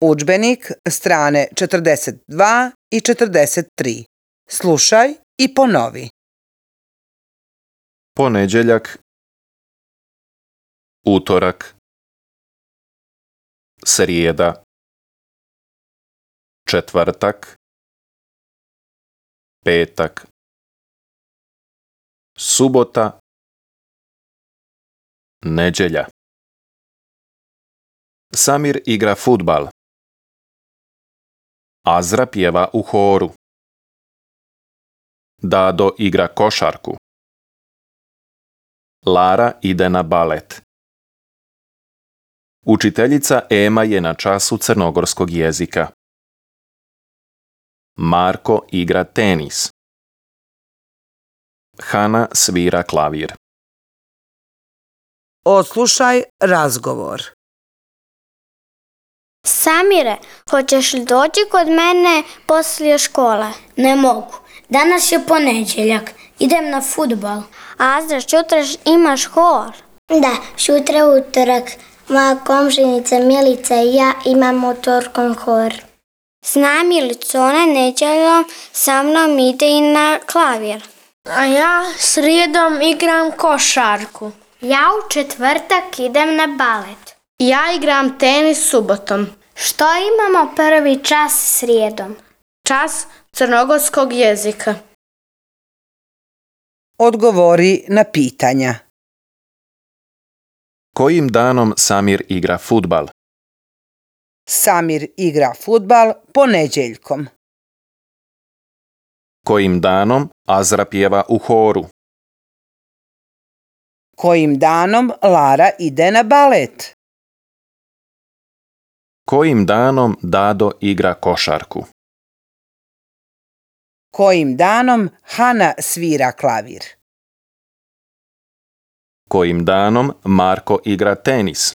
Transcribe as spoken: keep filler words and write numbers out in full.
Udžbenik, strane četrdeset dva i četrdeset tri. Slušaj i ponovi. Ponedjeljak, utorak, srijeda, četvrtak, petak, subota, nedjelja. Samir igra fudbal. Azra pjeva u horu. Dado igra košarku. Lara ide na balet. Učiteljica Ema je na času crnogorskog jezika. Marko igra tenis. Hana svira klavir. Odslušaj razgovor. Samire, hoćeš li doći kod mene poslije škole? Ne mogu. Danas je ponedjeljak. Idem na fudbal. Azra, sutra imaš hor? Da, sutra utorak. Moja komšinica Milica i ja imamo utorkom hor. Zna Milicu, ona nedjeljom sa mnom ide i na klavir. A ja srijedom igram košarku. Ja u četvrtak idem na balet. Ja igram tenis subotom. Što imamo prvi čas srijedom? Čas crnogorskog jezika. Odgovori na pitanja. Kojim danom Samir igra fudbal? Samir igra fudbal ponedjeljkom. Kojim danom Azra pjeva u horu? Kojim danom Lara ide na balet? Kojim danom Dado igra košarku? Kojim danom Hana svira klavir? Kojim danom Marko igra tenis?